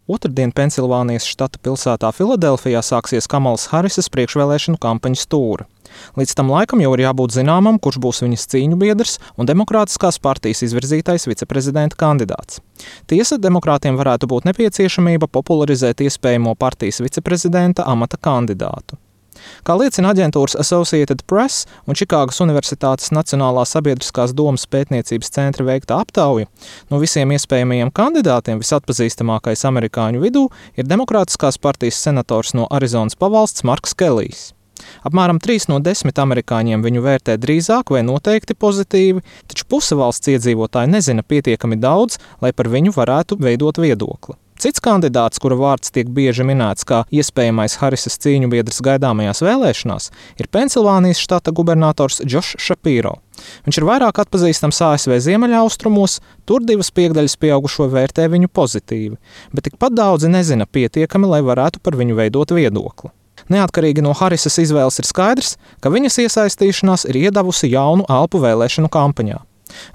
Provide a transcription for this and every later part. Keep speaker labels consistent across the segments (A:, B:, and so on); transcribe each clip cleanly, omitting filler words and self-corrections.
A: Otrdien Pensilvānijas štata pilsētā Filadelfijā sāksies Kamalas Harisas priekšvēlēšanu kampaņas tūre. Līdz tam laikam jau ir jābūt zināmam, kurš būs viņas cīņu biedrs un Demokrātiskās partijas izvirzītais viceprezidenta kandidāts. Tiesa, demokrātiem varētu būt nepieciešamība popularizēt iespējamo partijas viceprezidenta amata kandidātu. Kā liecina aģentūras Associated Press un Čikāgas Universitātes Nacionālā sabiedriskās domas pētniecības centra veikta aptauja, no visiem iespējamajiem kandidātiem visatpazīstamākais amerikāņu vidū ir Demokrātiskās partijas senators no Arizonas pavalsts Marks Kelijs. Apmēram 3 no 10 amerikāņiem viņu vērtē drīzāk vai noteikti pozitīvi, taču puse valsts iedzīvotāji nezina pietiekami daudz, lai par viņu varētu veidot viedokli. Cits kandidāts, kura vārds tiek bieži minēts kā iespējamais Harisas cīņu biedrs gaidāmajās vēlēšanās, ir Pensilvānijas štata gubernators Džošs Šapīro. Viņš ir vairāk atpazīstams ASV ziemeļaustrumos, tur 2/5 pieaugušo vērtē viņu pozitīvi, bet tikpat daudzi nezina pietiekami, lai varētu par viņu veidot viedokli. Neatkarīgi no Harisas izvēles ir skaidrs, ka viņas iesaistīšanās ir iedavusi jaunu elpu vēlēšanu kampaņā.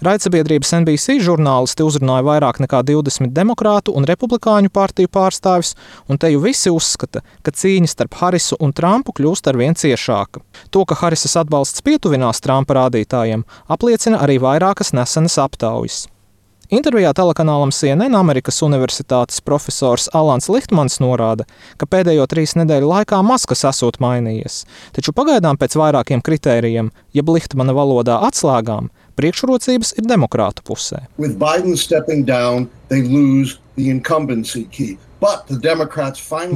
A: Raidsabiedrības NBC žurnālisti uzrunāja vairāk nekā 20 demokrātu un republikāņu partiju pārstāvis, un te jau visi uzskata, ka cīņa starp Harisu un Trumpu kļūst arvien ciešāka. To, ka Harisas atbalsts pietuvinās Trumpa rādītājiem, apliecina arī vairākas nesenas aptaujas. Intervijā telekanālam CNN Amerikas Universitātes profesors Alans Lihtmans norāda, ka pēdējo 3 nedēļu laikā maz kas esot mainījies, taču pagaidām pēc vairākiem kritērijiem, jeb Lihtmana valodā atslēgām, priekšrocības ir demokrātu pusē.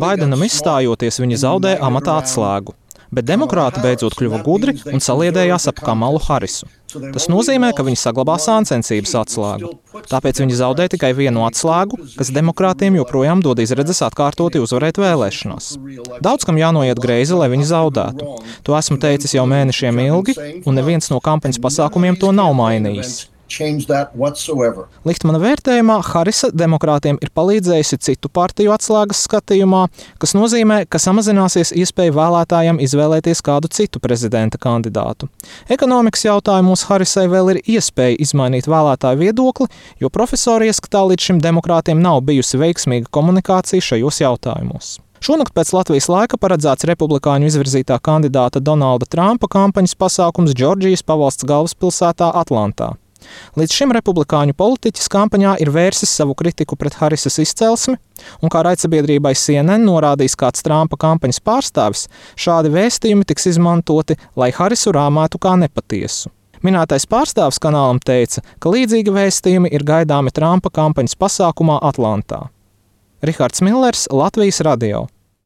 A: Baidenam izstājoties, viņi zaudē amata atslēgu. Bet demokrāti beidzot kļuva gudri un saliedējās ap Kamalu Harisu. Tas nozīmē, ka viņi saglabā sāncensības atslēgu. Tāpēc viņi zaudē tikai vienu atslēgu, kas demokrātiem joprojām dod izredzes atkārtoti uzvarēt vēlēšanās. Daudz kam jānoiet greizi, lai viņi zaudētu. To esmu teicis jau mēnešiem ilgi, un neviens no kampaņas pasākumiem to nav mainījis. Lihtmana vērtējumā Harisa demokrātiem ir palīdzējusi citu partiju atslēgas skatījumā, kas nozīmē, ka samazināsies iespēja vēlētājiem izvēlēties kādu citu prezidenta kandidātu. Ekonomikas jautājumos Harisai vēl ir iespēja izmainīt vēlētāju viedokli, jo profesori ieskatā līdz šim demokrātiem nav bijusi veiksmīga komunikācija šajos jautājumos. Šonakt pēc Latvijas laika paredzēts republikāņu izvirzītā kandidāta Donalda Trumpa kampaņas pasākums Džordžijas pavalsts galvaspilsētā Atlantā. Līdz šim republikāņu politiķis kampaņā ir vērsis savu kritiku pret Harisas izcelsmi, un kā raidsabiedrībai CNN norādījis kāds Trumpa kampaņas pārstāvis, šādi vēstījumi tiks izmantoti, lai Harisu rāmētu kā nepatiesu. Minētais pārstāvis kanālam teica, ka līdzīgi vēstījumi ir gaidāmi Trumpa kampaņas pasākumā Atlantā. Rihards Millers, Latvijas radio.